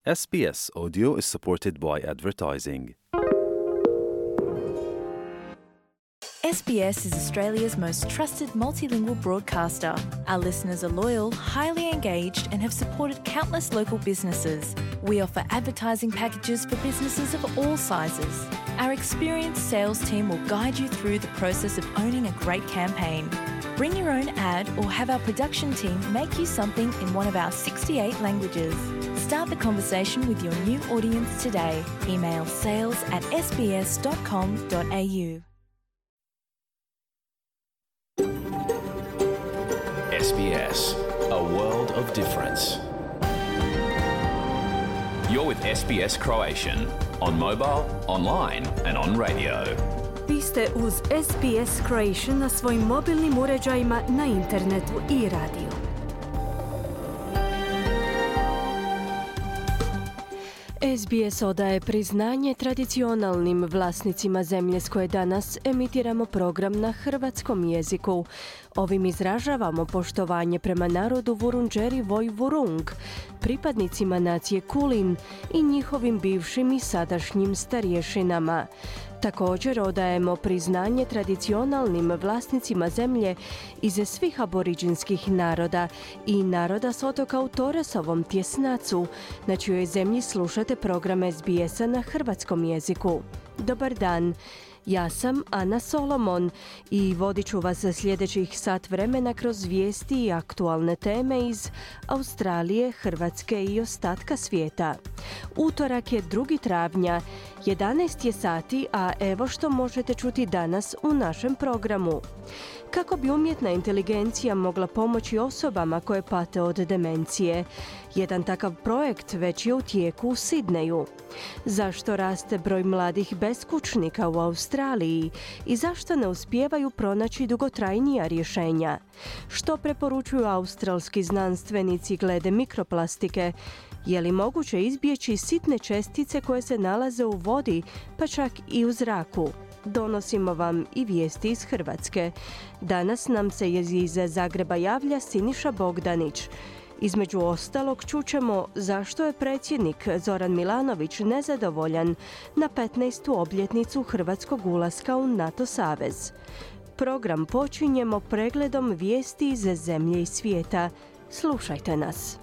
SBS Audio is supported by advertising. SBS is Australia's most trusted multilingual broadcaster. Our listeners are loyal, highly engaged, and have supported countless local businesses. We offer advertising packages for businesses of all sizes. Our experienced sales team will guide you through the process of owning a great campaign. Bring your own ad or have our production team make you something in one of our 68 languages. Start the conversation with your new audience today. Email sales@sbs.com.au. SBS, a world of difference. You're with SBS Croatian on mobile, online and on radio. Vi ste uz SBS Croatian na svojim mobilnim uređajima, na internetu i radiju. SBS odaje priznanje tradicionalnim vlasnicima zemlje s koje danas emitiramo program na hrvatskom jeziku. Ovim izražavamo poštovanje prema narodu Vurundjeri Vojvurung, pripadnicima nacije Kulin i njihovim bivšim i sadašnjim starješinama. Također odajemo priznanje tradicionalnim vlasnicima zemlje iz svih aboriđinskih naroda i naroda s otoka u Toresovom tjesnacu, na čijoj zemlji slušate program SBS-a na hrvatskom jeziku. Dobar dan, ja sam Ana Solomon i vodit ću vas za sljedećih sat vremena kroz vijesti i aktualne teme iz Australije, Hrvatske i ostatka svijeta. Utorak je 2. travnja, 11 je sati, a evo što možete čuti danas u našem programu. Kako bi umjetna inteligencija mogla pomoći osobama koje pate od demencije? Jedan takav projekt već je u tijeku u Sidneju. Zašto raste broj mladih beskućnika u Australiji i zašto ne uspijevaju pronaći dugotrajnija rješenja? Što preporučuju australski znanstvenici glede mikroplastike? Je li moguće izbjeći sitne čestice koje se nalaze u vodi, pa čak i u zraku? Donosimo vam i vijesti iz Hrvatske. Danas nam se iz Zagreba javlja Siniša Bogdanić. Između ostalog čućemo zašto je predsjednik Zoran Milanović nezadovoljan na 15. obljetnicu hrvatskog ulaska u NATO savez. Program počinjemo pregledom vijesti iz zemlje i svijeta. Slušajte nas.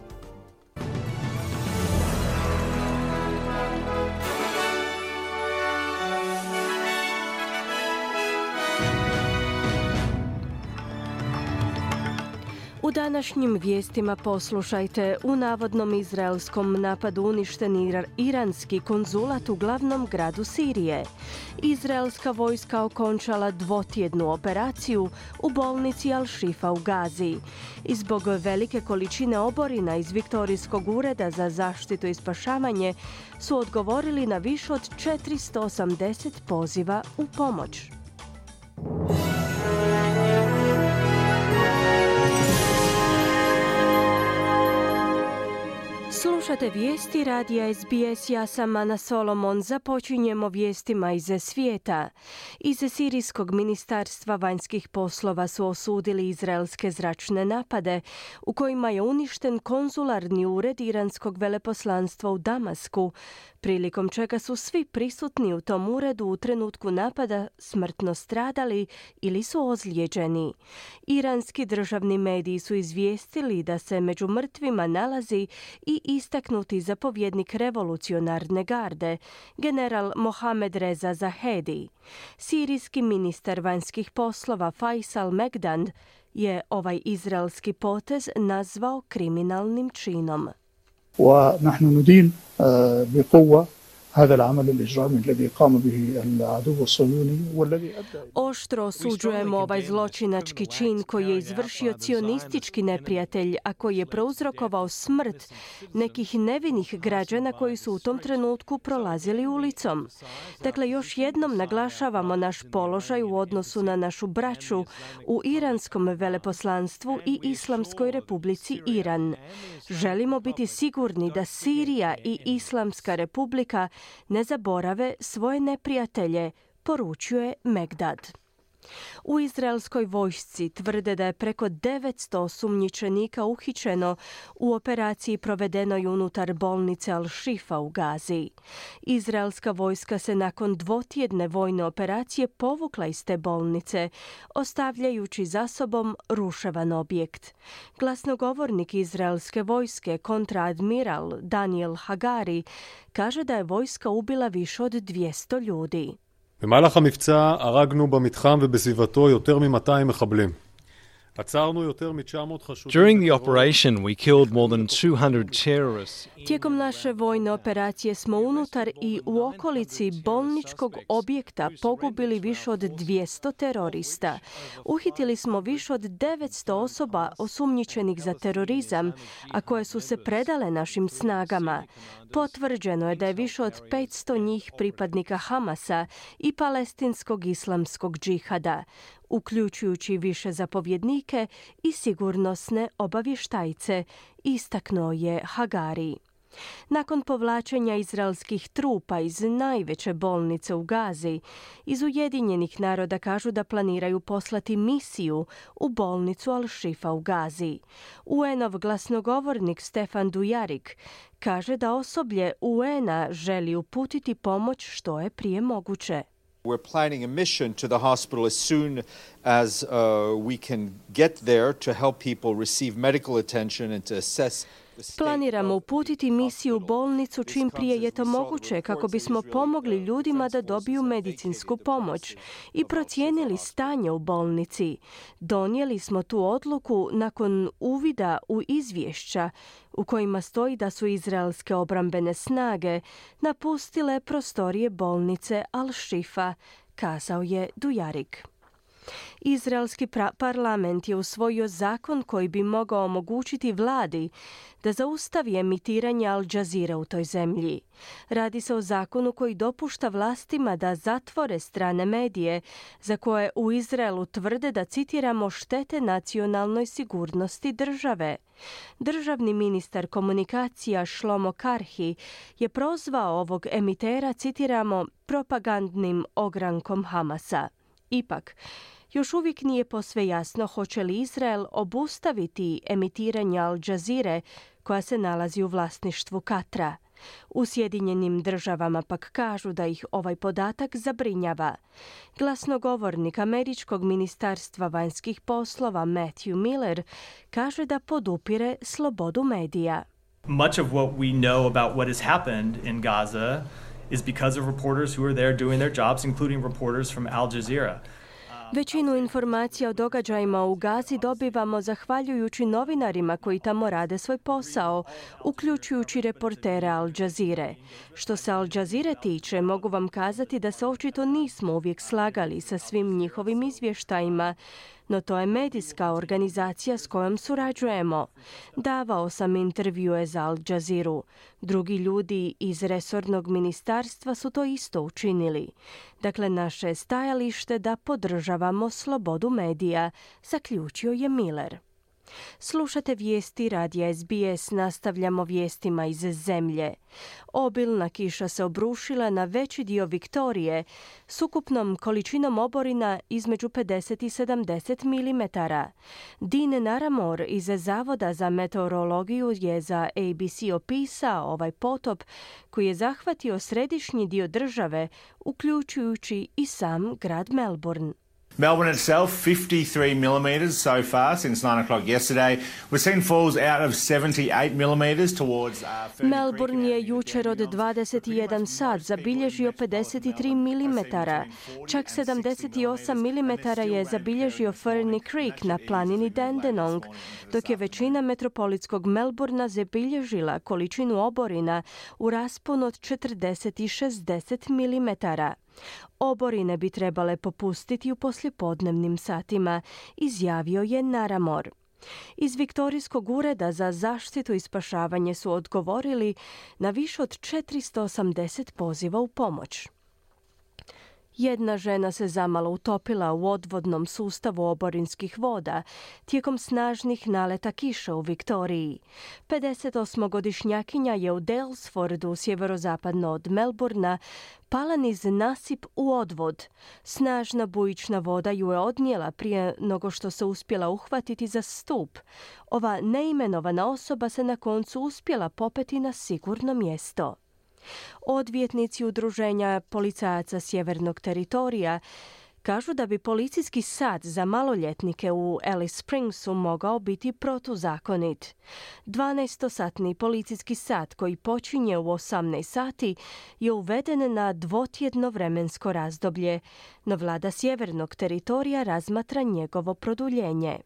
U današnjim vijestima poslušajte: u navodnom izraelskom napadu uništen iranski konzulat u glavnom gradu Sirije. Izraelska vojska okončala dvotjednu operaciju u bolnici Al-Shifa u Gazi. I zbog velike količine oborina iz Viktorijskog ureda za zaštitu i spašavanje su odgovorili na više od 480 poziva u pomoć. Slušate vijesti radija SBS, ja sam Ana Solomon. Započinjemo vijestima iz svijeta. Iz Sirijskog ministarstva vanjskih poslova su osudili izraelske zračne napade u kojima je uništen konzularni ured iranskog veleposlanstva u Damasku, prilikom čega su svi prisutni u tom uredu u trenutku napada smrtno stradali ili su ozlijeđeni. Iranski državni mediji su izvijestili da se među mrtvima nalazi i istaknuti zapovjednik revolucionarne garde, general Mohamed Reza Zahedi. Sirijski ministar vanjskih poslova Faisal Megdand je ovaj izraelski potez nazvao kriminalnim činom. ونحن ندين بقوة هذا العمل الإجرامي الذي قام به العدو الصهيوني والذي أدى. Oštro osuđujemo ovaj zločinački čin koji je izvršio cionistički neprijatelj, a koji je prouzrokovao smrt nekih nevinih građana koji su u tom trenutku prolazili ulicom. Dakle, još jednom naglašavamo naš položaj u odnosu na našu braću u iranskom veleposlanstvu i Islamskoj republici Iran. Želimo biti sigurni da Sirija i Islamska republika ne zaborave svoje neprijatelje, poručuje Megdad. U izraelskoj vojsci tvrde da je preko 900 osumnjičenika uhićeno u operaciji provedenoj unutar bolnice Al-Shifa u Gazi. Izraelska vojska se nakon dvotjedne vojne operacije povukla iz te bolnice, ostavljajući za sobom ruševan objekt. Glasnogovornik izraelske vojske, kontraadmiral Daniel Hagari, kaže da je vojska ubila više od 200 ljudi. במהלך המבצע הרגנו במתחם ובסביבתו יותר מ-200 מחבלים. During the operation, we killed more than 200 terrorists. Tijekom naše vojne operacije smo unutar i u okolici bolničkog objekta pogubili više od 200 terorista. Uhitili smo više od 900 osoba osumnjičenih za terorizam, a koje su se predale našim snagama. Potvrđeno je da je više od 500 njih pripadnika Hamasa i palestinskog islamskog džihada, uključujući više zapovjednike i sigurnosne obavještajce, istaknuo je Hagari. Nakon povlačenja izraelskih trupa iz najveće bolnice u Gazi, iz Ujedinjenih naroda kažu da planiraju poslati misiju u bolnicu Al-Shifa u Gazi. UN-ov glasnogovornik Stefan Dujarric kaže da osoblje UN-a želi uputiti pomoć što je prije moguće. We're planning a mission to the hospital as soon as we can get there to help people receive medical attention and to assess. Planiramo uputiti misiju u bolnicu čim prije je to moguće kako bismo pomogli ljudima da dobiju medicinsku pomoć i procijenili stanje u bolnici. Donijeli smo tu odluku nakon uvida u izvješća u kojima stoji da su izraelske obrambene snage napustile prostorije bolnice Al-Shifa, kazao je Dujarric. Izraelski parlament je usvojio zakon koji bi mogao omogućiti vladi da zaustavi emitiranje Al Jazeera u toj zemlji. Radi se o zakonu koji dopušta vlastima da zatvore strane medije za koje u Izraelu tvrde da, citiramo, štete nacionalnoj sigurnosti države. Državni ministar komunikacija Shlomo Karhi je prozvao ovog emitera, citiramo, propagandnim ogrankom Hamasa. Ipak, još uvijek nije posve jasno hoće li Izrael obustaviti emitiranje Al Jazeere koja se nalazi u vlasništvu Katra. U Sjedinjenim državama pak kažu da ih ovaj podatak zabrinjava. Glasnogovornik Američkog ministarstva vanjskih poslova Matthew Miller kaže da podupire slobodu medija. Much of what we know about what has happened in Gaza is because of reporters who are there doing their jobs, including reporters from Al Jazeera. Većinu informacija o događajima u Gazi dobivamo zahvaljujući novinarima koji tamo rade svoj posao, uključujući reportere Al Jazeere. Što se Al Jazeere tiče, mogu vam kazati da se očito nismo uvijek slagali sa svim njihovim izvještajima, no to je medijska organizacija s kojom surađujemo. Davao sam intervjue za Al Jazeeru. Drugi ljudi iz resornog ministarstva su to isto učinili. Dakle, naše stajalište da podržavamo slobodu medija, zaključio je Miller. Slušate vijesti radija SBS, nastavljamo vijestima iz zemlje. Obilna kiša se obrušila na veći dio Viktorije s ukupnom količinom oborina između 50 i 70 mm. Dean Naramore iz Zavoda za meteorologiju je za ABC opisao ovaj potop koji je zahvatio središnji dio države, uključujući i sam grad Melbourne. Melbourne itself, 53 millimetres so far since 9 o'clock yesterday. We've seen falls out of 78 millimetres towards Melbourne je jučer od 21 sat zabilježio 53 mm. Čak 78 mm je zabilježio Ferny Creek na planini Dandenong, dok je većina metropolitskog Melbourna zabilježila količinu oborina u rasponu od 40 i 60 mm. Oborine bi trebale popustiti u poslijepodnevnim satima, izjavio je Naramore. Iz Viktorijskog ureda za zaštitu i spašavanje su odgovorili na više od 480 poziva u pomoć. Jedna žena se zamalo utopila u odvodnom sustavu oborinskih voda tijekom snažnih naleta kiše u Viktoriji. 58-godišnjakinja je u Daylesfordu, sjeverozapadno od Melbourna, pala niz nasip u odvod. Snažna bujična voda ju je odnijela prije nego što se uspjela uhvatiti za stup. Ova neimenovana osoba se na koncu uspjela popeti na sigurno mjesto. Odvjetnici udruženja policajaca Sjevernog teritorija kažu da bi policijski sat za maloljetnike u Alice Springsu mogao biti protuzakonit. 12-satni policijski sat koji počinje u 18 sati je uveden na dvotjedno vremensko razdoblje, no vlada Sjevernog teritorija razmatra njegovo produljenje.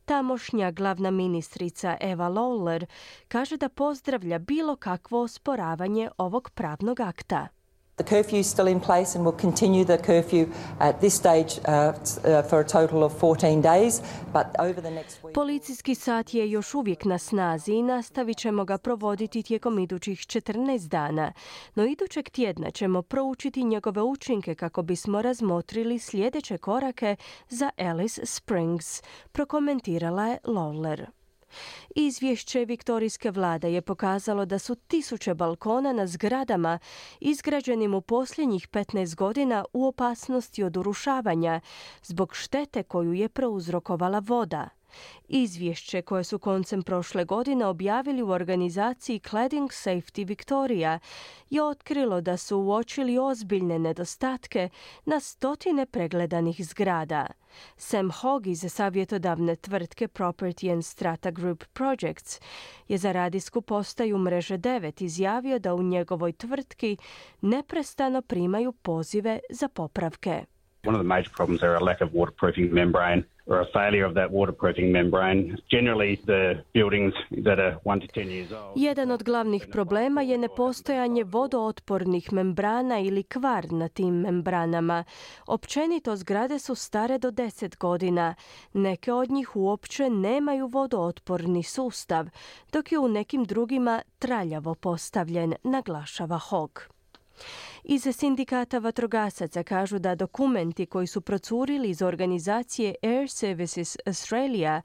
Tamošnja glavna ministrica Eva Lawler kaže da pozdravlja bilo kakvo osporavanje ovog pravnog akta. The curfew is still in place and will continue the curfew at this stage for a total of 14 days, but over the next week... Policijski sat je još uvijek na snazi i nastavit ćemo ga provoditi tijekom idućih 14 dana, no idućeg tjedna ćemo proučiti njegove učinke kako bismo razmotrili sljedeće korake za Alice Springs, prokomentirala je Lawler. Izvješće viktorijske vlade je pokazalo da su tisuće balkona na zgradama izgrađenim u posljednjih 15 godina u opasnosti od urušavanja zbog štete koju je prouzrokovala voda. Izvješće koje su koncem prošle godine objavili u organizaciji Cladding Safety Victoria je otkrilo da su uočili ozbiljne nedostatke na stotine pregledanih zgrada. Sam Hogg iz savjetodavne tvrtke Property and Strata Group Projects je za radijsku postaju Mreže 9 izjavio da u njegovoj tvrtki neprestano primaju pozive za popravke. One of the major problems are a lack of waterproofing membrane or a failure of that waterproofing membrane. Generally, the buildings that are 1 to 10 years old. Jedan od glavnih problema je nepostojanje vodootpornih membrana ili kvar na tim membranama. Općenito zgrade su stare do 10 godina. Neke od njih uopće nemaju vodootporni sustav, dok je u nekim drugima traljavo postavljen, naglašava Hogg. Iz sindikata vatrogasaca kažu da dokumenti koji su procurili iz organizacije Air Services Australia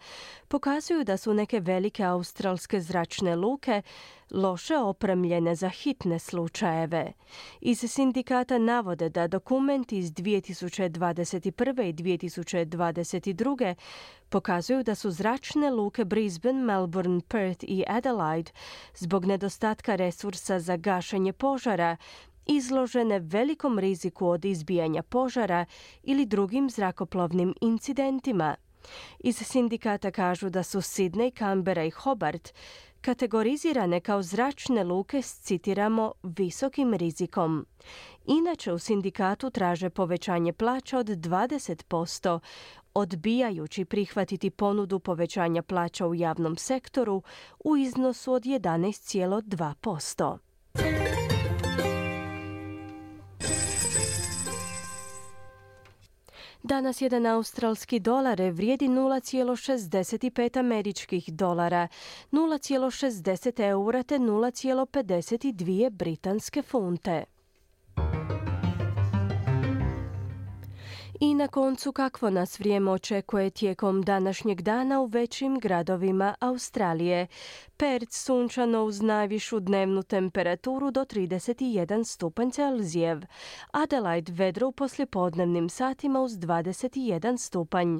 pokazuju da su neke velike australske zračne luke loše opremljene za hitne slučajeve. Iz sindikata navode da dokumenti iz 2021. i 2022. pokazuju da su zračne luke Brisbane, Melbourne, Perth i Adelaide zbog nedostatka resursa za gašenje požara izložene velikom riziku od izbijanja požara ili drugim zrakoplovnim incidentima. Iz sindikata kažu da su Sydney, Canberra i Hobart kategorizirane kao zračne luke s, citiramo, visokim rizikom. Inače u sindikatu traže povećanje plaća od 20%, odbijajući prihvatiti ponudu povećanja plaća u javnom sektoru u iznosu od 11,2%. Danas jedan australski dolar vrijedi 0,65 američkih dolara, 0,60 eura te 0,52 britanske funte. I na koncu kakvo nas vrijeme očekuje tijekom današnjeg dana u većim gradovima Australije. Perth sunčano uz najvišu dnevnu temperaturu do 31 stupanj Celzijev. Adelaide vedro u poslijepodnevnim satima uz 21 stupanj.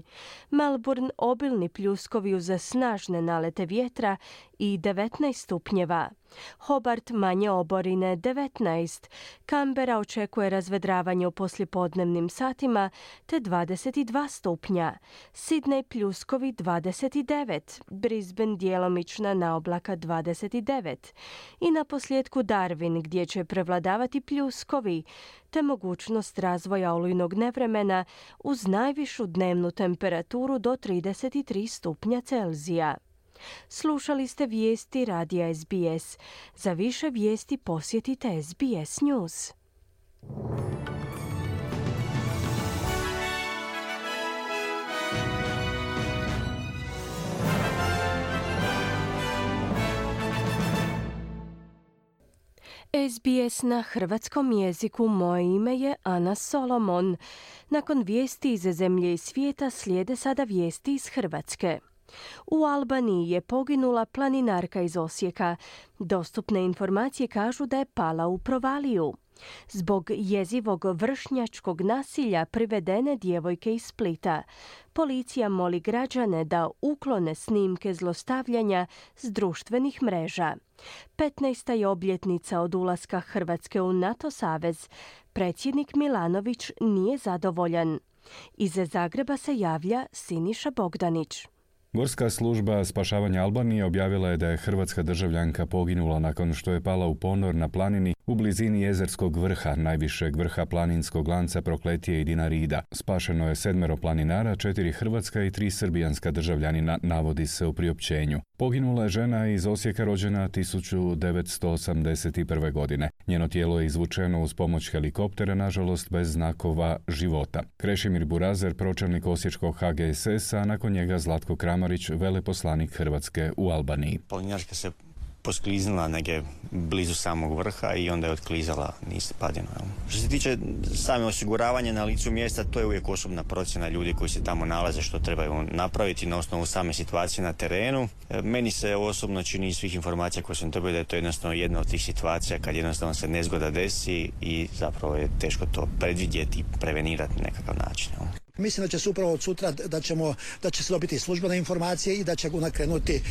Melbourne obilni pljuskovi uz snažne nalete vjetra i 19 stupnjeva. Hobart manje oborine 19. Canberra očekuje razvedravanje u poslijepodnevnim satima te 22 stupnja. Sydney pljuskovi 29. Brisbane djelomična naoblaka 29. I na posljedku Darwin gdje će prevladavati pljuskovi te mogućnost razvoja olujnog nevremena uz najvišu dnevnu temperaturu do 33 stupnja Celzija. Slušali ste vijesti radija SBS. Za više vijesti posjetite SBS News. SBS na hrvatskom jeziku. Moje ime je Ana Solomon. Nakon vijesti iz zemlje i svijeta slijede sada vijesti iz Hrvatske. U Albaniji je poginula planinarka iz Osijeka. Dostupne informacije kažu da je pala u provaliju. Zbog jezivog vršnjačkog nasilja privedene djevojke iz Splita. Policija moli građane da uklone snimke zlostavljanja s društvenih mreža. 15. je obljetnica od ulaska Hrvatske u NATO savez. Predsjednik Milanović nije zadovoljan. Iz Zagreba se javlja Siniša Bogdanić. Gorska služba spašavanja Albanije objavila je da je hrvatska državljanka poginula nakon što je pala u ponor na planini u blizini Jezerskog vrha, najvišeg vrha planinskog lanca Prokletije i Dinarida. Spašeno je 7 planinara, 4 hrvatska i 3 srbijanska državljanina, navodi se u priopćenju. Poginula je žena iz Osijeka rođena 1981. godine. Njeno tijelo je izvučeno uz pomoć helikoptera, nažalost bez znakova života. Krešimir Burazer, pročelnik osječkog HGSS-a, nakon njega Zlatko Kramarić, veleposlanik Hrvatske u Albaniji. Planinarka se poskliznula negdje blizu samog vrha i onda je otklizala niz padinu. Što se tiče same osiguravanja na licu mjesta, to je uvijek osobna procjena ljudi koji se tamo nalaze što trebaju napraviti na osnovu same situacije na terenu. Meni se osobno čini iz svih informacija koje sam dobio da je to jednostavno jedna od tih situacija kad jednostavno se nezgoda desi i zapravo je teško to predvidjeti i prevenirati na nekakav način. Mislim da će se upravo od sutra da će se dobiti službene informacije i da će nakrenuti,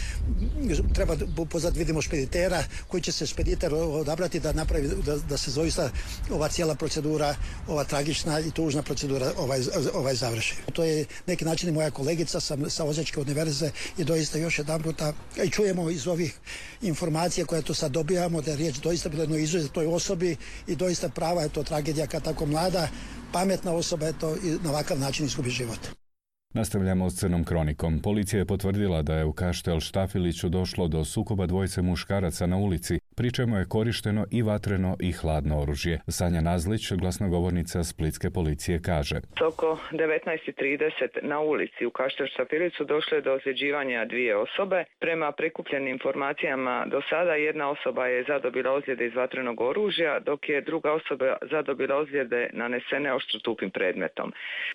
treba pozvati, vidimo, špeditera koji će se špediter odabrati da napravi, da se doista ova cijela procedura, ova tragična i tužna procedura ovaj završi. To je neki način i moja kolegica sa Osječke univerze i doista još jedan puta i čujemo iz ovih informacija koje tu sad dobijamo da je riječ doista bilo jednoj izuzetnoj osobi i doista prava je to tragedija kad tako mlada, pametna osoba je to i na ovakav način izgubi život. Nastavljamo s crnom kronikom. Policija je potvrdila da je u Kaštel Štafiliću došlo do sukoba dvojice muškaraca na ulici, pri čemu je korišteno i vatreno i hladno oružje. Sanja Nazlić, glasnogovornica splitske policije, kaže: Oko 19:30 na ulici u Kaštel Štafiliću došlo je do ozljeđivanja 2 osobe. Prema prikupljenim informacijama do sada jedna osoba je zadobila ozljede iz vatrenog oružja, dok je druga osoba zadobila ozljede nanesene oštrotupim predmetom.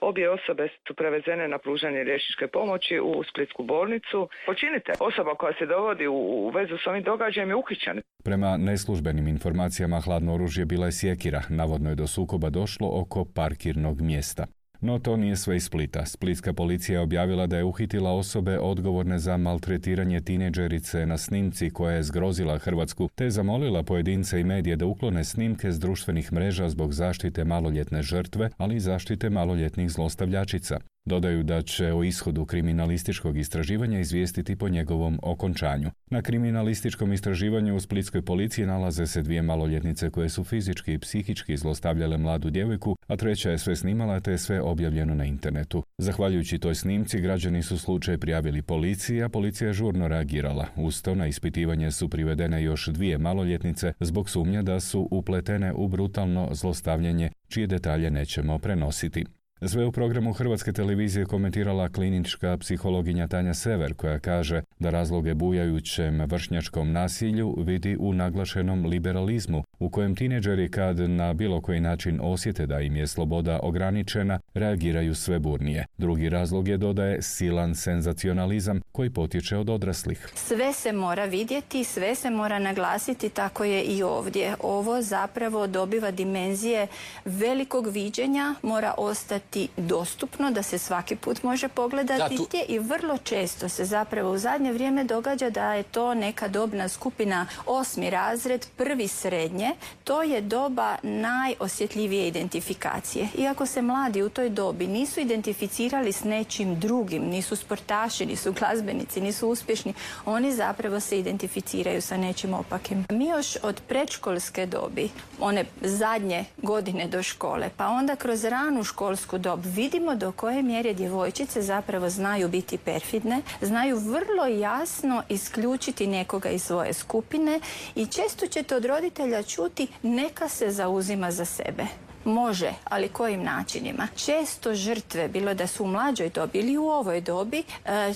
Obje osobe su prevezene na pružanje liječničke pomoći u splitsku bolnicu. Počinitelj, osoba koja se dovodi u vezu s ovim događajem, je uhićen. Prema neslužbenim informacijama hladno oružje bila je sjekira. Navodno je do sukoba došlo oko parkirnog mjesta. No to nije sve iz Splita. Splitska policija je objavila da je uhitila osobe odgovorne za maltretiranje tinejdžerice na snimci koja je zgrozila Hrvatsku, te zamolila pojedince i medije da uklone snimke s društvenih mreža zbog zaštite maloljetne žrtve, ali i zaštite maloljetnih zlostavljačica. Dodaju da će o ishodu kriminalističkog istraživanja izvijestiti po njegovom okončanju. Na kriminalističkom istraživanju u splitskoj policiji nalaze se 2 maloljetnice koje su fizički i psihički zlostavljale mladu djevojku, a treća je sve snimala te je sve objavljeno na internetu. Zahvaljujući toj snimci, građani su slučaj prijavili policiji, a policija je žurno reagirala. Uz to na ispitivanje su privedene još 2 maloljetnice zbog sumnje da su upletene u brutalno zlostavljanje, čije detalje nećemo prenositi. Sve u programu Hrvatske televizije komentirala klinička psihologinja Tanja Sever, koja kaže da razloge bujajućem vršnjačkom nasilju vidi u naglašenom liberalizmu, u kojem tinejdžeri kad na bilo koji način osjete da im je sloboda ograničena, reagiraju sve burnije. Drugi razlog je, dodaje, silan senzacionalizam koji potječe od odraslih. Sve se mora vidjeti, sve se mora naglasiti, tako je i ovdje. Ovo zapravo dobiva dimenzije velikog viđenja, mora ostati dostupno da se svaki put može pogledati i vrlo često se zapravo u zadnje vrijeme događa da je to neka dobna skupina 8. razred, 1. srednje. To je doba najosjetljivije identifikacije. Iako se mladi u toj dobi nisu identificirali s nečim drugim, nisu sportaši, nisu glazbenici, nisu uspješni, oni zapravo se identificiraju sa nečim opakim. Mi još od predškolske dobi, one zadnje godine do škole, pa onda kroz ranu školsku dob vidimo do koje mjere djevojčice zapravo znaju biti perfidne, znaju vrlo jasno isključiti nekoga iz svoje skupine i često ćete od roditelja čuti neka se zauzima za sebe. Može, ali kojim načinima? Često žrtve, bilo da su u mlađoj dobi ili u ovoj dobi,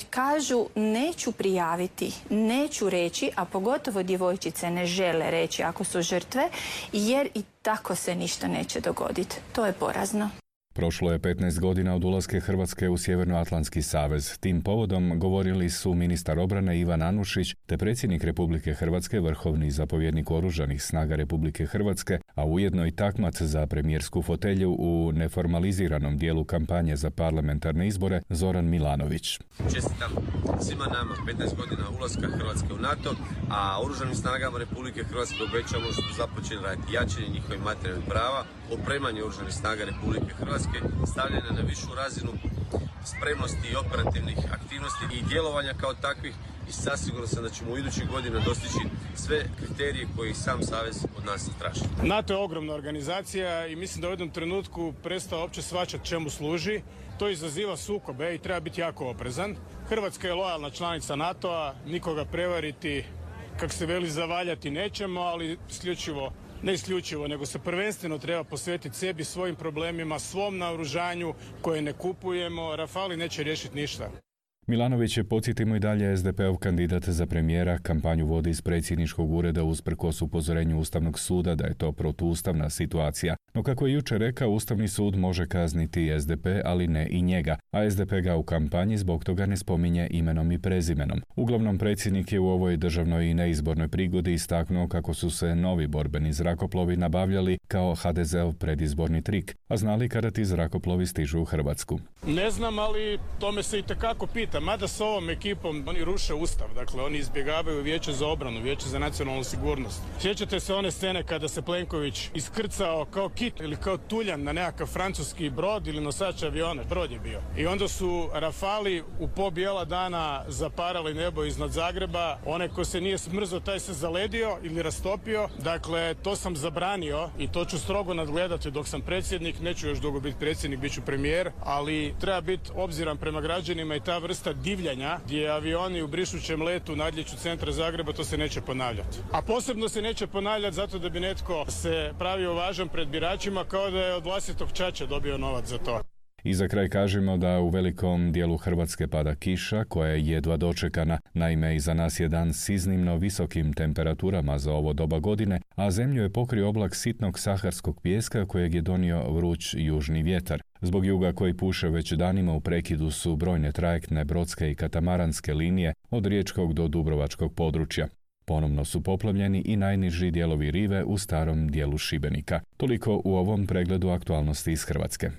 kažu neću prijaviti, neću reći, a pogotovo djevojčice ne žele reći ako su žrtve, jer i tako se ništa neće dogoditi. To je porazno. Prošlo je 15 godina od ulaske Hrvatske u Sjevernoatlantski savez. Tim povodom govorili su ministar obrane Ivan Anušić te predsjednik Republike Hrvatske, vrhovni zapovjednik Oružanih snaga Republike Hrvatske, a ujedno i takmac za premijersku fotelju u neformaliziranom dijelu kampanje za parlamentarne izbore Zoran Milanović. Čestitam svima nama 15 godina ulaska Hrvatske u NATO, a Oružanim snagama Republike Hrvatske obećamo što su započeli raditi jačanje njihovih materijalnih prava, opremanje Oružanih snaga Republike Hrvatske, stavljanje na višu razinu spremnosti i operativnih aktivnosti i djelovanja kao takvih, i sasviguran sam da ćemo u idućih godina dostići sve kriterije koje sam savez od nas traži. NATO je ogromna organizacija i mislim da u jednom trenutku prestao uopće shvaćati čemu služi. To izaziva sukobe i treba biti jako oprezan. Hrvatska je lojalna članica NATO-a, nikoga prevariti, kako se veli, zavaljati nećemo, ali ne isključivo, nego se prvenstveno treba posvetiti sebi, svojim problemima, svom naoružanju koje ne kupujemo. Rafali neće riješiti ništa. Milanović je, podsjetimo i dalje, SDP-ov kandidat za premijera, kampanju vodi iz predsjedničkog ureda usprkos upozorenju Ustavnog suda da je to protuustavna situacija. No kako je jučer rekao, Ustavni sud može kazniti SDP, ali ne i njega, a SDP ga u kampanji zbog toga ne spominje imenom i prezimenom. Uglavnom, predsjednik je u ovoj državnoj i neizbornoj prigodi istaknuo kako su se novi borbeni zrakoplovi nabavljali kao HDZ-ov predizborni trik, a znali kada ti zrakoplovi stižu u Hrvatsku. Ne znam, ali tome se itekako pita. Mada s ovom ekipom oni ruše Ustav, dakle oni izbjegavaju Vijeće za obranu, Vijeće za nacionalnu sigurnost. Sjećate se one scene kada se Plenković iskrcao kao kit ili kao tuljan na nekakav francuski brod ili nosač aviona, brod je bio. I onda su Rafali u po bijela dana zaparali nebo iznad Zagreba. Onaj ko se nije smrzao, taj se zaledio ili rastopio. Dakle, to sam zabranio i to ću strogo nadgledati dok sam predsjednik. Neću još dugo biti predsjednik, bit ću premijer, ali treba biti obziran prema građanima i ta vrsta divljanja gdje avioni u brišućem letu nadlijeću centra Zagreba, to se neće ponavljati. A posebno se neće ponavljati zato da bi netko se pravio važan pred biračima kao da je od vlastitog ćaća dobio novac za to. I za kraj kažemo da u velikom dijelu Hrvatske pada kiša koja je jedva dočekana. Naime, iza nas je dan s iznimno visokim temperaturama za ovo doba godine, a zemlju je pokrio oblak sitnog saharskog pijeska kojeg je donio vruć južni vjetar. Zbog juga koji puše već danima u prekidu su brojne trajektne, brodske i katamaranske linije od riječkog do dubrovačkog područja. Ponovno su poplavljeni i najniži dijelovi rive u starom dijelu Šibenika. Toliko u ovom pregledu aktualnosti iz Hrvatske.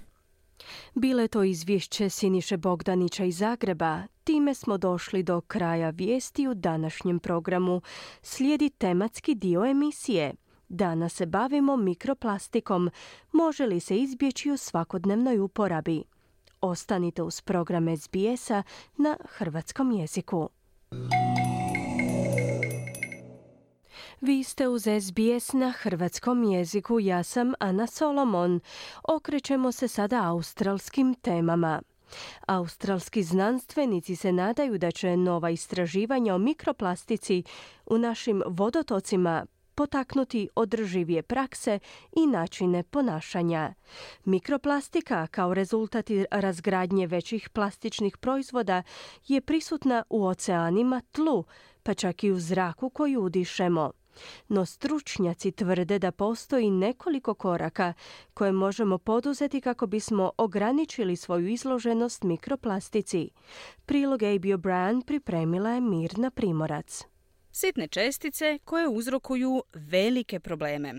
Bile to izvješće Siniše Bogdanića iz Zagreba. Time smo došli do kraja vijesti u današnjem programu. Slijedi tematski dio emisije. Danas se bavimo mikroplastikom. Može li se izbjeći u svakodnevnoj uporabi? Ostanite uz program SBS-a na hrvatskom jeziku. Vi ste uz SBS na hrvatskom jeziku, ja sam Ana Solomon. Okrećemo se sada australskim temama. Australski znanstvenici se nadaju da će nova istraživanja o mikroplastici u našim vodotocima potaknuti održivije prakse i načine ponašanja. Mikroplastika kao rezultat razgradnje većih plastičnih proizvoda je prisutna u oceanima, tlu, pa čak i u zraku koji udišemo. No stručnjaci tvrde da postoji nekoliko koraka koje možemo poduzeti kako bismo ograničili svoju izloženost mikroplastici. Prilog A.B. O'Brien pripremila je Mirna Primorac. Sitne čestice koje uzrokuju velike probleme.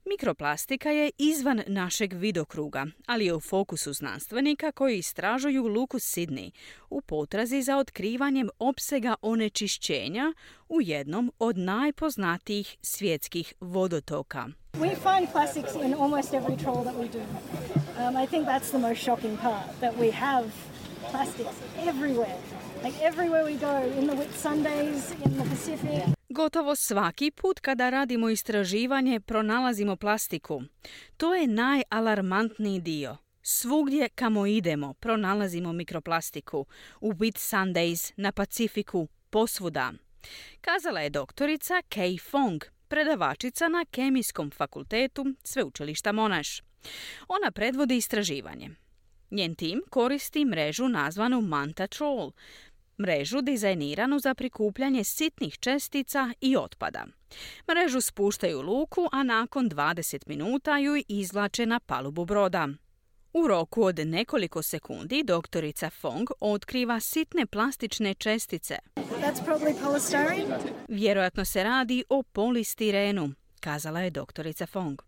Mikroplastika je izvan našeg vidokruga, ali je u fokusu znanstvenika koji istražuju luku Sydney u potrazi za otkrivanjem opsega onečišćenja u jednom od najpoznatijih svjetskih vodotoka. We find plastics in almost every trawl that we do. I think that's the most shocking part, that we have plastics everywhere. Like everywhere we go, in the Whitsundays, in the Pacific. Gotovo svaki put kada radimo istraživanje pronalazimo plastiku. To je najalarmantniji dio. Svugdje kamo idemo pronalazimo mikroplastiku. U Whitsundays, na Pacifiku, posvuda. Kazala je doktorica Kay Fong, predavačica na Kemijskom fakultetu Sveučilišta Monash. Ona predvodi istraživanje. Njen tim koristi mrežu nazvanu Manta Troll, mrežu dizajniranu za prikupljanje sitnih čestica i otpada. Mrežu spuštaju u luku, a nakon 20 minuta ju izvlače na palubu broda. U roku od nekoliko sekundi doktorica Fong otkriva sitne plastične čestice. That's probably polystyrene. Vjerojatno se radi o polistirenu, kazala je doktorica Fong.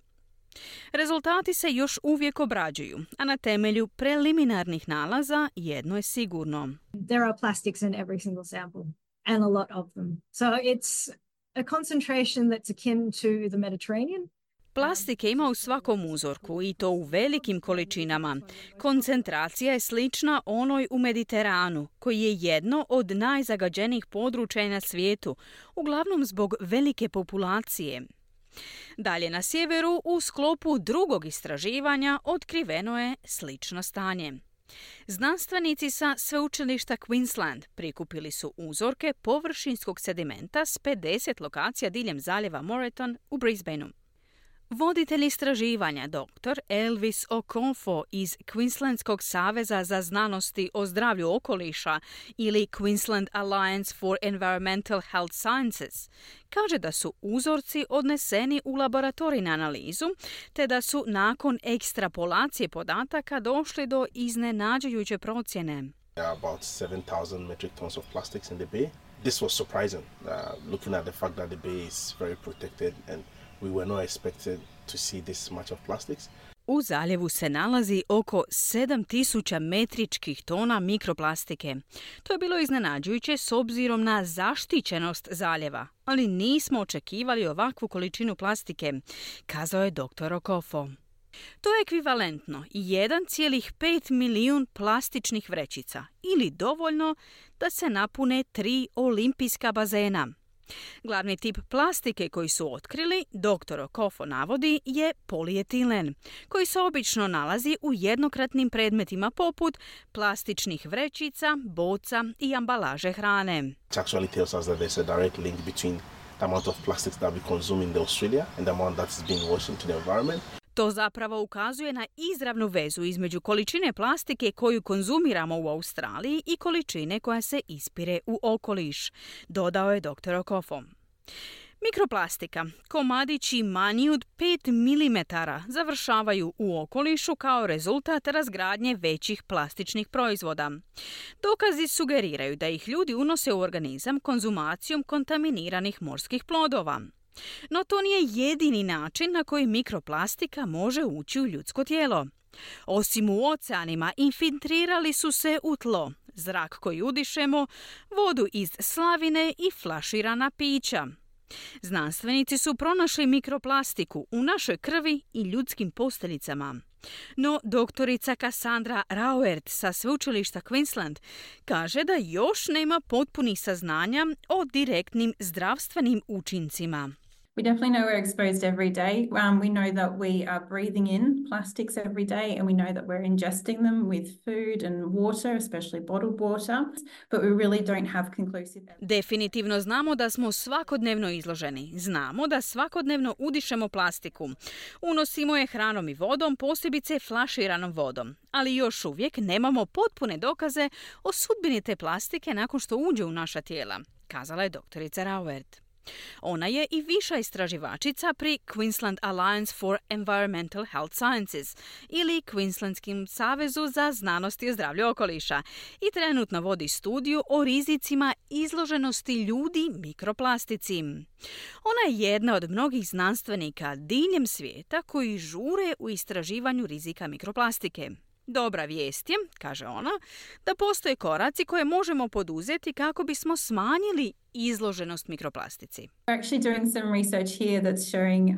Rezultati se još uvijek obrađuju, a na temelju preliminarnih nalaza jedno je sigurno. There are plastics in every single sample, and a lot of them. So it's a concentration that's akin to the Mediterranean. Plastike ima u svakom uzorku i to u velikim količinama. Koncentracija je slična onoj u Mediteranu, koji je jedno od najzagađenijih područja na svijetu, uglavnom zbog velike populacije. Dalje na sjeveru, u sklopu drugog istraživanja, otkriveno je slično stanje. Znanstvenici sa sveučilišta Queensland prikupili su uzorke površinskog sedimenta s 50 lokacija diljem zaljeva Moreton u Brisbaneu. Voditelj istraživanja dr. Elvis Okonfo iz Queenslandskog saveza za znanosti o zdravlju okoliša ili Queensland Alliance for Environmental Health Sciences kaže da su uzorci odneseni u laboratorijnu analizu te da su nakon ekstrapolacije podataka došli do iznenađujuće procjene. About 7,000 metric tons of plastics in the bay. This was surprising, looking at the fact that the bay is very protected and we were not expected to see this much of plastics. U zaljevu se nalazi oko 7,000 metričkih tona mikroplastike. To je bilo iznenađujuće s obzirom na zaštićenost zaljeva, ali nismo očekivali ovakvu količinu plastike, kazao je dr. Okofo. To je ekvivalentno 1,5 milijun plastičnih vrećica ili dovoljno da se napune 3 olimpijska bazena. Glavni tip plastike koji su otkrili, dr. Okofo navodi, je polietilen, koji se obično nalazi u jednokratnim predmetima poput plastičnih vrećica, boca i ambalaže hrane. It actually tells us that there's a direct link between the amount of plastics that we consume in Australia and the amount that is being washed into the environment. To zapravo ukazuje na izravnu vezu između količine plastike koju konzumiramo u Australiji i količine koja se ispire u okoliš, dodao je dr. Okofo. Mikroplastika, komadići manji od 5 mm, završavaju u okolišu kao rezultat razgradnje većih plastičnih proizvoda. Dokazi sugeriraju da ih ljudi unose u organizam konzumacijom kontaminiranih morskih plodova. No to nije jedini način na koji mikroplastika može ući u ljudsko tijelo. Osim u oceanima, infiltrirali su se u tlo, zrak koji udišemo, vodu iz slavine i flaširana pića. Znanstvenici su pronašli mikroplastiku u našoj krvi i ljudskim posteljicama. No doktorica Cassandra Rauert sa sveučilišta Queensland kaže da još nema potpunih saznanja o direktnim zdravstvenim učincima. We definitely know we're exposed every day. We know that we are breathing in plastics every day, and we know that we're ingesting them with food and water, especially bottled water, but we really don't have conclusive evidence. Definitivno znamo da smo svakodnevno izloženi. Znamo da svakodnevno udišemo plastiku. Unosimo je hranom i vodom, posebice flaširanom vodom. Ali još uvijek nemamo potpune dokaze o sudbini te plastike nakon što uđe u naša tijela, kazala je doktorica Rauert. Ona je i viša istraživačica pri Queensland Alliance for Environmental Health Sciences ili Queenslandskim savezu za znanost i zdravlje okoliša i trenutno vodi studiju o rizicima izloženosti ljudi mikroplastici. Ona je jedna od mnogih znanstvenika diljem svijeta koji žure u istraživanju rizika mikroplastike. Dobra vijest je, kaže ona, da postoje koraci koje možemo poduzeti kako bismo smanjili izloženost mikroplastici. We're actually doing some research here that's showing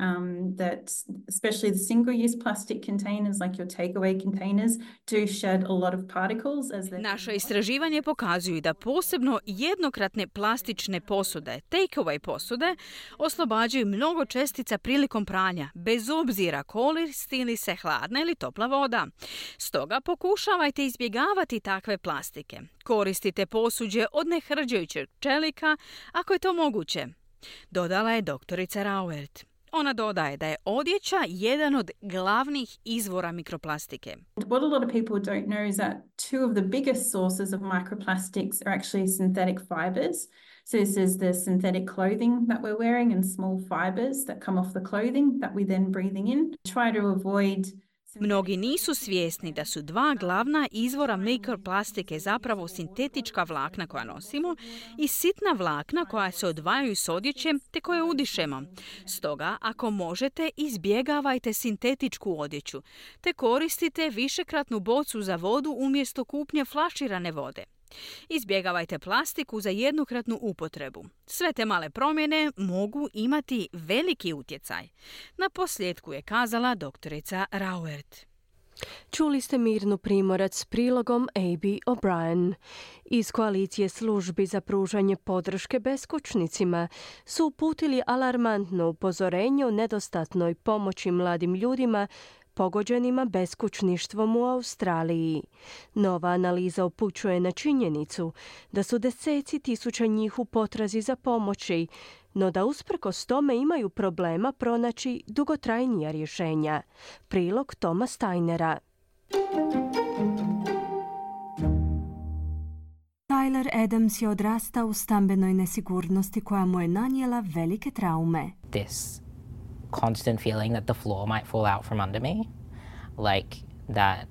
that especially the single-use plastic containers like your takeaway containers do shed a lot of particles as they... Naše istraživanje pokazuju da posebno jednokratne plastične posude, takeaway posude, oslobađaju mnogo čestica prilikom pranja, bez obzira koristi li se hladna ili topla voda. Stoga pokušavajte izbjegavati takve plastike. Koristite posuđe od nehrđajućeg čelika ako je to moguće, dodala je doktorica Rauert. Ona dodaje da je odjeća jedan od glavnih izvora mikroplastike. What a lot of people don't know is that two of the biggest sources of microplastics are actually synthetic fibers. So this is the synthetic clothing that we're wearing and small fibers that come off the clothing that we then breathing in. Try to avoid. Mnogi nisu svjesni da su dva glavna izvora mikroplastike zapravo sintetička vlakna koja nosimo i sitna vlakna koja se odvajaju s odjećem te koje udišemo. Stoga, ako možete, izbjegavajte sintetičku odjeću te koristite višekratnu bocu za vodu umjesto kupnje flaširane vode. Izbjegavajte plastiku za jednokratnu upotrebu. Sve te male promjene mogu imati veliki utjecaj. Na posljedku je kazala doktorica Rauert. Čuli ste Mirnu Primorac s prilogom A.B. O'Brien. Iz koalicije službi za pružanje podrške beskućnicima su uputili alarmantno upozorenje o nedostatnoj pomoći mladim ljudima pogođenima beskućništvom u Australiji. Nova analiza upućuje na činjenicu da su deseci tisuća njih u potrazi za pomoći, no da usprkos tome imaju problema pronaći dugotrajnija rješenja. Prilog Toma Steinera. Tyler Adams je odrastao u stambenoj nesigurnosti koja mu je nanijela velike traume. Constant feeling that the floor might fall out from under me, like that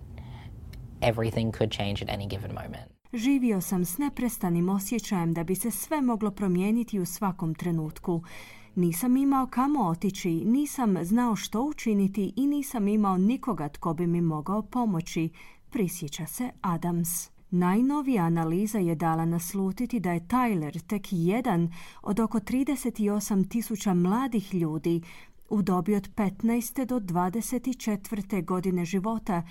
everything could change at any given moment. Živio sam s neprestanim osjećajem da bi se sve moglo promijeniti u svakom trenutku. Nisam imao kamo otići, nisam znao što učiniti i nisam imao nikoga tko bi mi mogao pomoći, prisjeća se Adams. Najnovija analiza je dala naslutiti da je Tyler tek jedan od oko 38.000 mladih ljudi u dobi od 15. do 24. godine života,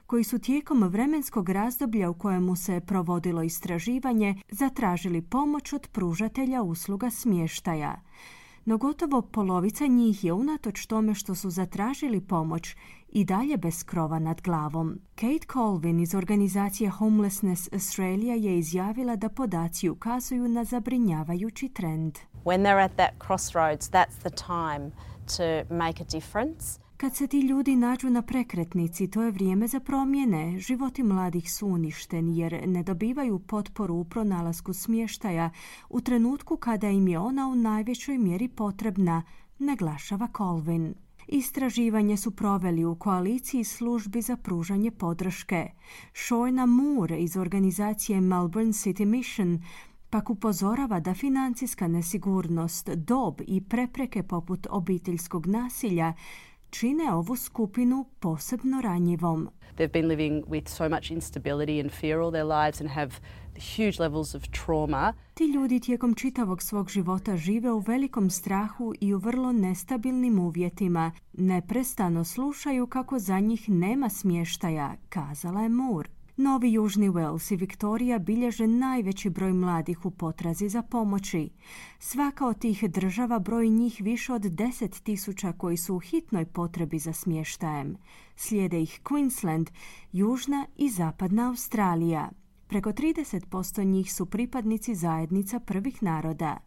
koji su tijekom vremenskog razdoblja u kojemu se provodilo istraživanje zatražili pomoć od pružatelja usluga smještaja. No gotovo polovica njih je unatoč tome što su zatražili pomoć i dalje bez krova nad glavom. Kate Colvin iz organizacije Homelessness Australia je izjavila da podaci ukazuju na zabrinjavajući trend. When they're at that crossroads, that's the time to make a difference. Kad se ti ljudi nađu na prekretnici, to je vrijeme za promjene. Životi mladih su uništeni jer ne dobivaju potporu u pronalasku smještaja u trenutku kada im je ona u najvećoj mjeri potrebna, naglašava Colvin. Istraživanje su proveli u koaliciji službi za pružanje podrške. Shorna Moore iz organizacije Melbourne City Mission pak upozorava da financijska nesigurnost, dob i prepreke poput obiteljskog nasilja čine ovu skupinu posebno ranjivom. They've been living with so much instability and fear all their lives and have huge levels of trauma. Ti ljudi tijekom čitavog svog života žive u velikom strahu i u vrlo nestabilnim uvjetima. Neprestano slušaju kako za njih nema smještaja, kazala je Moore. Novi Južni Wales i Viktorija bilježe najveći broj mladih u potrazi za pomoći. Svaka od tih država broji njih više od 10.000 koji su u hitnoj potrebi za smještajem. Slijede ih Queensland, Južna i Zapadna Australija. Preko 30% njih su pripadnici zajednica prvih naroda.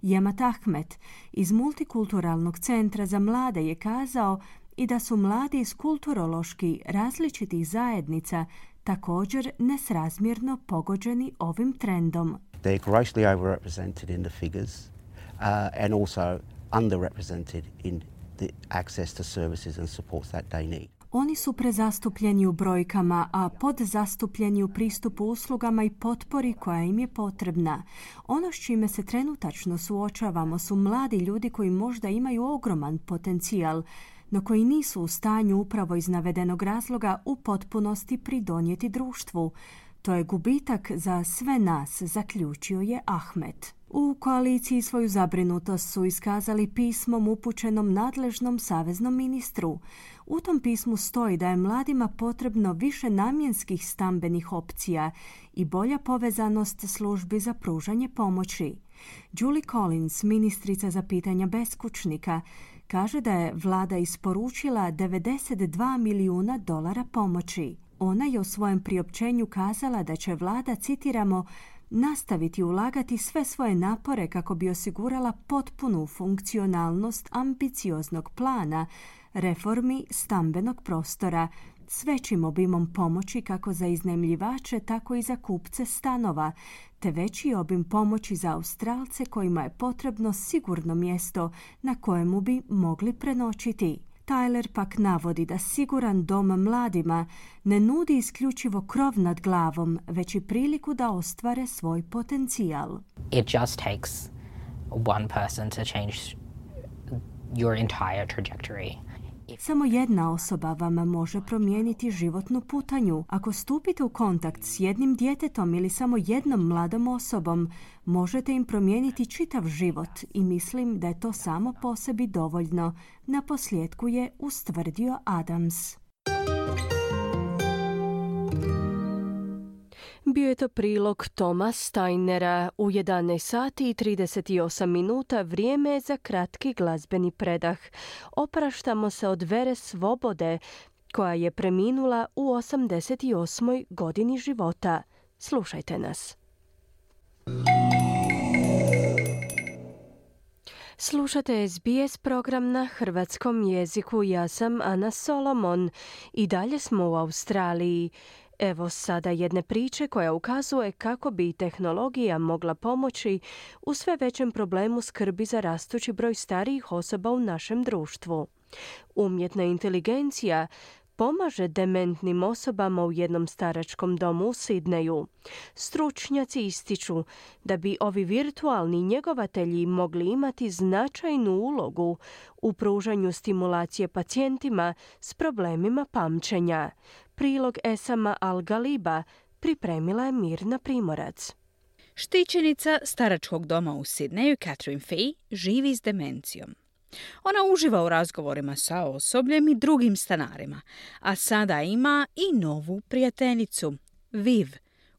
Jemat Ahmed iz Multikulturalnog centra za mlade je kazao i da su mladi iz kulturološki različitih zajednica također nesrazmjerno pogođeni ovim trendom. They're grossly overrepresented in the figures and also underrepresented in the access to services and supports that they need. Oni su prezastupljeni u brojkama, a podzastupljeni u pristupu uslugama i potpori koja im je potrebna. Ono s čime se trenutačno suočavamo su mladi ljudi koji možda imaju ogroman potencijal, no koji nisu u stanju upravo iz navedenog razloga u potpunosti pridonijeti društvu. To je gubitak za sve nas, zaključio je Ahmed. U koaliciji svoju zabrinutost su iskazali pismom upućenom nadležnom saveznom ministru. U tom pismu stoji da je mladima potrebno više namjenskih stambenih opcija i bolja povezanost službi za pružanje pomoći. Julie Collins, ministrica za pitanja beskućnika, kaže da je vlada isporučila $92 milijuna pomoći. Ona je u svojem priopćenju kazala da će vlada, citiramo, nastaviti ulagati sve svoje napore kako bi osigurala potpunu funkcionalnost ambicioznog plana reformi stambenog prostora s većim obimom pomoći kako za iznajmljivače, tako i za kupce stanova, te veći obim pomoći za Australce kojima je potrebno sigurno mjesto na kojemu bi mogli prenoćiti. Tyler pak navodi da siguran dom mladima ne nudi isključivo krov nad glavom, već i priliku da ostvare svoj potencijal. It just takes one person to change your entire trajectory. Samo jedna osoba vam može promijeniti životnu putanju. Ako stupite u kontakt s jednim djetetom ili samo jednom mladom osobom, možete im promijeniti čitav život i mislim da je to samo po sebi dovoljno. Naposljetku je ustvrdio Adams. Bio je to prilog Toma Steinera. U 11 sati i 38 minuta vrijeme je za kratki glazbeni predah. Opraštamo se od Vere Svobode, koja je preminula u 88. godini života. Slušajte nas. Slušate SBS program na hrvatskom jeziku. Ja sam Ana Solomon. I dalje smo u Australiji. Evo sada jedne priče koja ukazuje kako bi tehnologija mogla pomoći u sve većem problemu skrbi za rastući broj starijih osoba u našem društvu. Umjetna inteligencija pomaže dementnim osobama u jednom staračkom domu u Sidneju. Stručnjaci ističu da bi ovi virtualni njegovatelji mogli imati značajnu ulogu u pružanju stimulacije pacijentima s problemima pamćenja. Prilog Esama Al-Galiba pripremila je Mirna Primorac. Štićenica staračkog doma u Sidneju, Catherine Fee, živi s demencijom. Ona uživa u razgovorima sa osobljem i drugim stanarima, a sada ima i novu prijateljicu, Viv,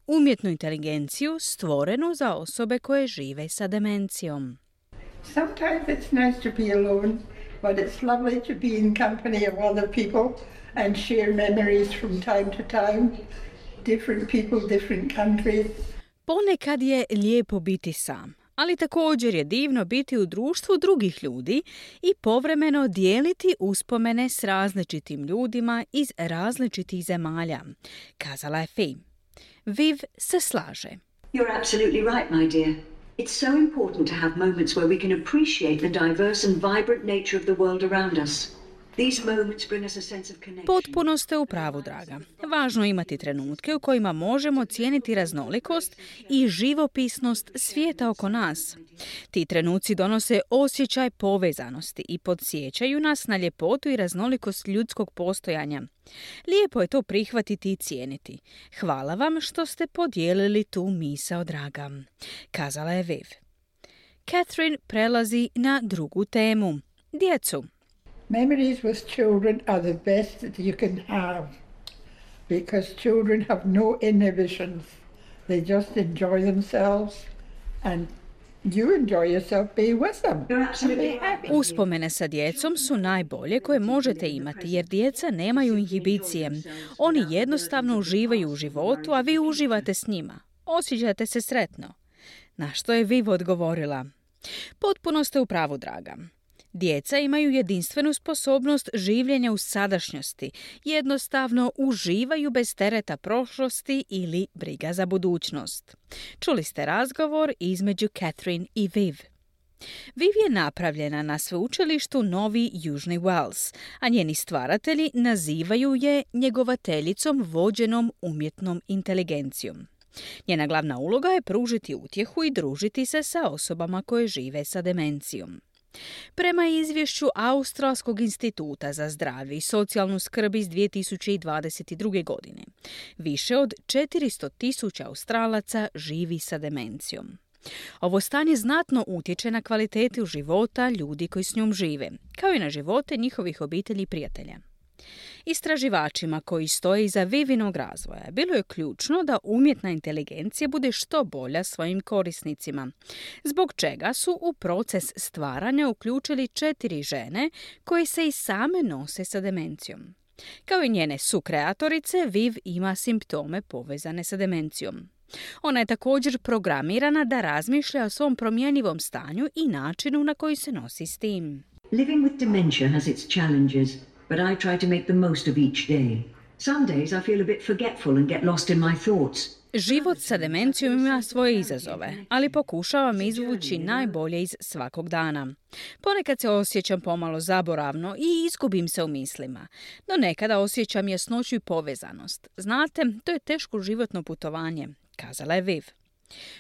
umjetnu inteligenciju stvorenu za osobe koje žive sa demencijom. Sometimes it's nice to be alone, but it's lovely to be in company of other people and share memories from time to time. Different people, different countries. Ponekad je lijepo biti sam, ali također je divno biti u društvu drugih ljudi i povremeno dijeliti uspomene s različitim ljudima iz različitih zemalja, kazala je Fee. Viv se slaže. You're absolutely right, my dear. It's so important to have moments where we can appreciate the diverse and vibrant nature of the world around us. Potpuno ste u pravu, draga. Važno je imati trenutke u kojima možemo cijeniti raznolikost i živopisnost svijeta oko nas. Ti trenuci donose osjećaj povezanosti i podsjećaju nas na ljepotu i raznolikost ljudskog postojanja. Lijepo je to prihvatiti i cijeniti. Hvala vam što ste podijelili tu misao, draga, kazala je Viv. Catherine prelazi na drugu temu. Djecu. Memories with children are the best that you can have because children have no inhibitions. They just enjoy themselves and you enjoy yourself being with them. Uspomene sa djecom su najbolje koje možete imati jer djeca nemaju inhibicije. Oni jednostavno uživaju u životu, a vi uživate s njima. Osjećate se sretno. Na što je Viv odgovorila? Potpuno ste u pravu, draga. Djeca imaju jedinstvenu sposobnost življenja u sadašnjosti, jednostavno uživaju bez tereta prošlosti ili briga za budućnost. Čuli ste razgovor između Catherine i Viv. Viv je napravljena na sveučilištu Novi Južni Wales, a njeni stvaratelji nazivaju je njegovateljicom vođenom umjetnom inteligencijom. Njena glavna uloga je pružiti utjehu i družiti se sa osobama koje žive sa demencijom. Prema izvješću Australskog instituta za zdravlje i socijalnu skrb iz 2022. godine, više od 400.000 Australaca živi sa demencijom. Ovo stanje znatno utječe na kvalitetu života ljudi koji s njom žive, kao i na živote njihovih obitelji i prijatelja. Istraživačima koji stoje iza Vivinog razvoja bilo je ključno da umjetna inteligencija bude što bolja svojim korisnicima, zbog čega su u proces stvaranja uključili 4 žene koje se i same nose sa demencijom. Kao i njene sukreatorice, Viv ima simptome povezane sa demencijom. Ona je također programirana da razmišlja o svom promjenjivom stanju i načinu na koji se nosi s tim. Living with dementia has its challenges, but I try to make the most of each day. Some days I feel a bit forgetful and get lost in my thoughts. Život sa demencijom ima svoje izazove, ali pokušavam izvući najbolje iz svakog dana. Ponekad se osjećam pomalo zaboravno i izgubim se u mislima, no nekada osjećam jasnoću i povezanost. Znate, to je teško životno putovanje, kazala je Viv.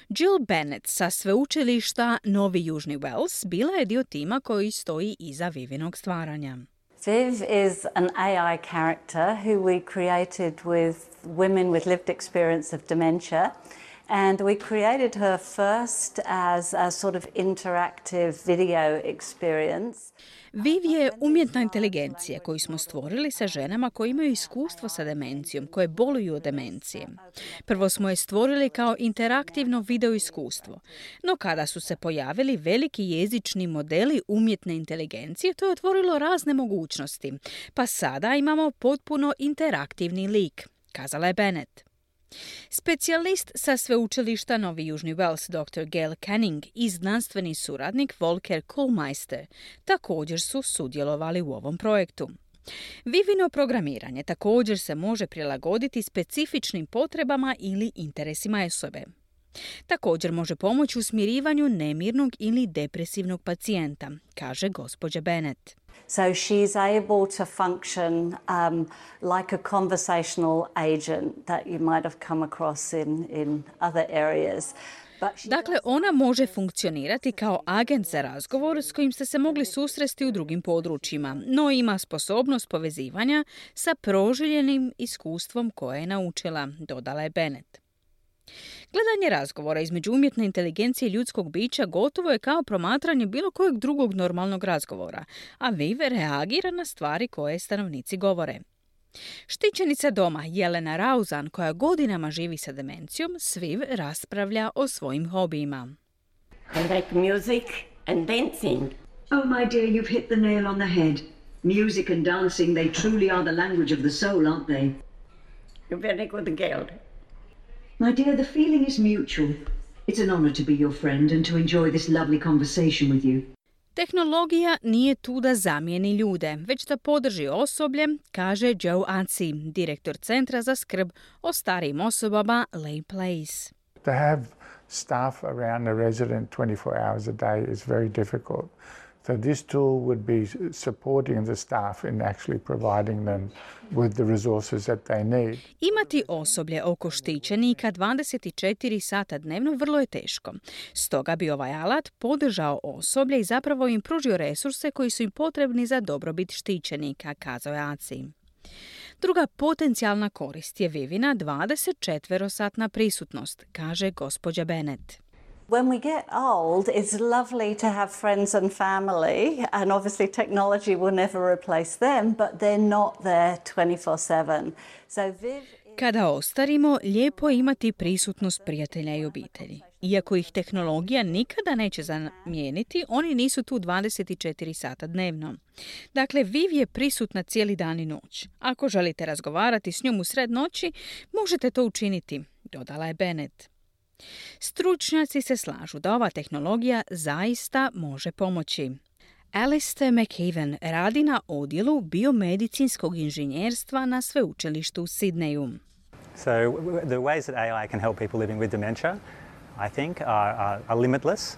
Jill Bennett sa sveučilišta Novi Južni Wales bila je dio tima koji stoji iza Vivinog stvaranja. Viv is an AI character who we created with women with lived experience of dementia, and we created her first as a sort of interactive video experience. Viv je umjetna inteligencija koju smo stvorili sa ženama koje imaju iskustvo sa demencijom, koje boluju od demencije. Prvo smo je stvorili kao interaktivno video iskustvo, no kada su se pojavili veliki jezični modeli umjetne inteligencije, to je otvorilo razne mogućnosti, pa sada imamo potpuno interaktivni lik, kazala je Bennett. Specijalist sa sveučilišta Novi Južni Wales dr. Gail Canning i znanstveni suradnik Volker Koolmeister također su sudjelovali u ovom projektu. Vivino programiranje također se može prilagoditi specifičnim potrebama ili interesima osobe. Također može pomoći u smirivanju nemirnog ili depresivnog pacijenta, kaže gospođa Bennett. So she's able to function like a conversational agent that you might have come across in other areas. Dakle, ona može funkcionirati kao agent za razgovor s kojim ste se mogli susresti u drugim područjima, no ima sposobnost povezivanja sa proživljenim iskustvom koje je naučila, dodala je Bennett. Gledanje razgovora između umjetne inteligencije i ljudskog bića gotovo je kao promatranje bilo kojeg drugog normalnog razgovora, a Viv reagira na stvari koje stanovnici govore. Štićenica doma Jelena Rauzan, koja godinama živi sa demencijom, s Viv raspravlja o svojim hobijima. I like music and dancing. Oh, my dear, you've hit the nail on the head. Music and dancing, they truly are the language of the soul, aren't they? You're very good girl. My dear, the feeling is mutual. It's an honor to be your friend and to enjoy this lovely conversation with you. Tehnologija nije tu da zamijeni ljude, već da podrži osoblje, kaže Joe Ansi, direktor Centra za skrb o starijim osobama Lay Place. To have staff around the resident 24 hours a day is very difficult. So this tool would be supporting the staff in actually providing them with the resources that they need. Imati osoblje oko štićenika 24 sata dnevno vrlo je teško. Stoga bi ovaj alat podržao osoblje i zapravo im pružio resurse koji su im potrebni za dobrobit štićenika, kazao je Aci. Druga potencijalna korist je Vivina 24-satna prisutnost, kaže gospođa Bennett. When we get old, it's lovely to have friends and family, and obviously technology will never replace them, but they're not there 24/7. So Viv... Kada ostarimo, lijepo je imati prisutnost prijatelja i obitelji. Iako ih tehnologija nikada neće zamijeniti, oni nisu tu 24 sata dnevno. Dakle, Viv je prisutna cijeli dan i noć. Ako želite razgovarati s njom u sred noći, možete to učiniti, dodala je Bennett. Stručnjaci se slažu da ova tehnologija zaista može pomoći. Alistair McKeven radi na odjelu biomedicinskog inženjerstva na sveučilištu u Sidneju. So the ways that AI can help people living with dementia, I think, are limitless.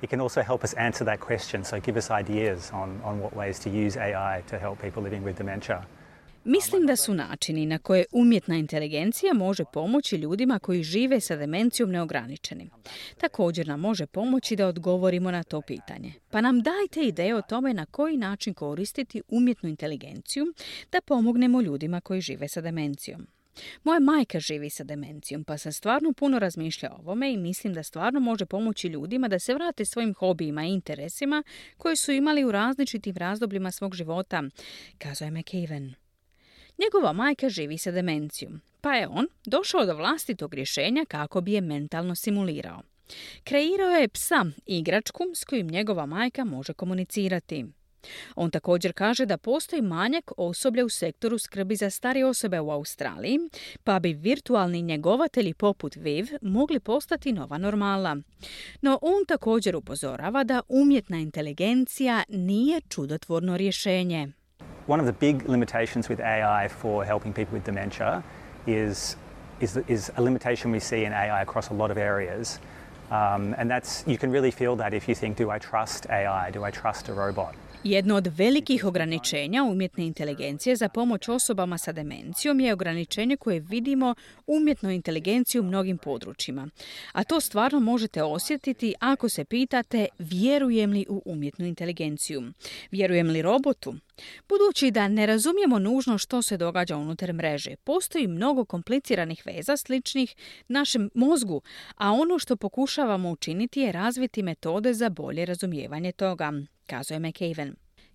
It can also help us answer that question, so give us ideas on what ways to use AI to help people living with dementia. Mislim da su načini na koje umjetna inteligencija može pomoći ljudima koji žive sa demencijom neograničeni. Također nam može pomoći da odgovorimo na to pitanje. Pa nam dajte ideje o tome na koji način koristiti umjetnu inteligenciju da pomognemo ljudima koji žive sa demencijom. Moja majka živi sa demencijom, pa sam stvarno puno razmišljala o ovome i mislim da stvarno može pomoći ljudima da se vrate svojim hobijima i interesima koje su imali u različitim razdobljima svog života, kazao je McKeven. Njegova majka živi sa demencijom, pa je on došao do vlastitog rješenja kako bi je mentalno simulirao. Kreirao je psa, igračku s kojim njegova majka može komunicirati. On također kaže da postoji manjak osoblja u sektoru skrbi za starije osobe u Australiji, pa bi virtualni njegovatelji poput Viv mogli postati nova normala. No on također upozorava da umjetna inteligencija nije čudotvorno rješenje. One of the big limitations with AI for helping people with dementia is a limitation we see in AI across a lot of areas. And you can really feel that if you think, do I trust AI? Do I trust a robot? Jedno od velikih ograničenja umjetne inteligencije za pomoć osobama sa demencijom je ograničenje koje vidimo umjetnoj inteligenciji u mnogim područjima. A to stvarno možete osjetiti ako se pitate vjerujem li u umjetnu inteligenciju. Vjerujem li robotu? Budući da ne razumijemo nužno što se događa unutar mreže, postoji mnogo kompliciranih veza sličnih našem mozgu, a ono što pokušavamo učiniti je razviti metode za bolje razumijevanje toga, kazuje McAven.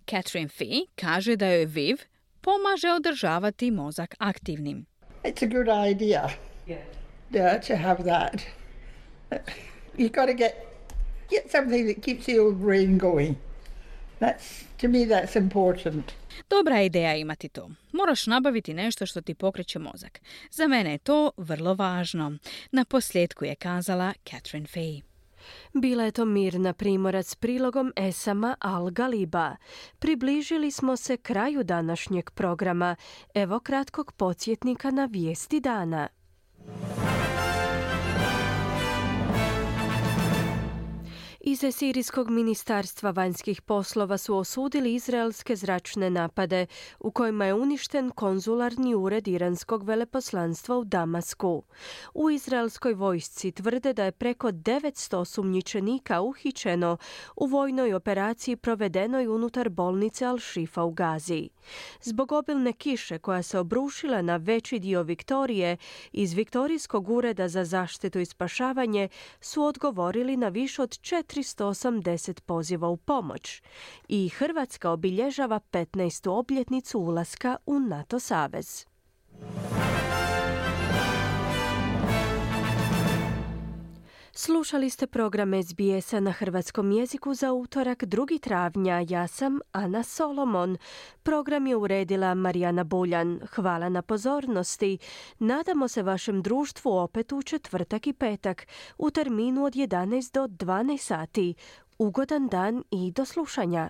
Catherine Fee kaže da joj Viv pomaže održavati mozak aktivnim. It's a good idea to have that. You've got to get something that keeps the old brain going. To me that's important. Dobra je ideja imati to. Moraš nabaviti nešto što ti pokreće mozak. Za mene je to vrlo važno. Na posljedku je kazala Catherine Fee. Bila je to Mirna Primorac s prilogom Esama Al-Galiba. Približili smo se kraju današnjeg programa. Evo kratkog podsjetnika na vijesti dana. Iz Sirijskog ministarstva vanjskih poslova su osudili izraelske zračne napade u kojima je uništen konzularni ured iranskog veleposlanstva u Damasku. U izraelskoj vojsci tvrde da je preko 900 osumnjičenika uhićeno u vojnoj operaciji provedenoj unutar bolnice Al-Shifa u Gazi. Zbog obilne kiše koja se obrušila na veći dio Viktorije, iz Viktorijskog ureda za zaštitu i spašavanje su odgovorili na više od 480 poziva u pomoć. I Hrvatska obilježava 15. obljetnicu ulaska u NATO savez. Slušali ste program SBS-a na hrvatskom jeziku za utorak 2. travnja. Ja sam Ana Solomon. Program je uredila Marijana Buljan. Hvala na pozornosti. Nadamo se vašem društvu opet u četvrtak i petak u terminu od 11 do 12 sati. Ugodan dan i do slušanja.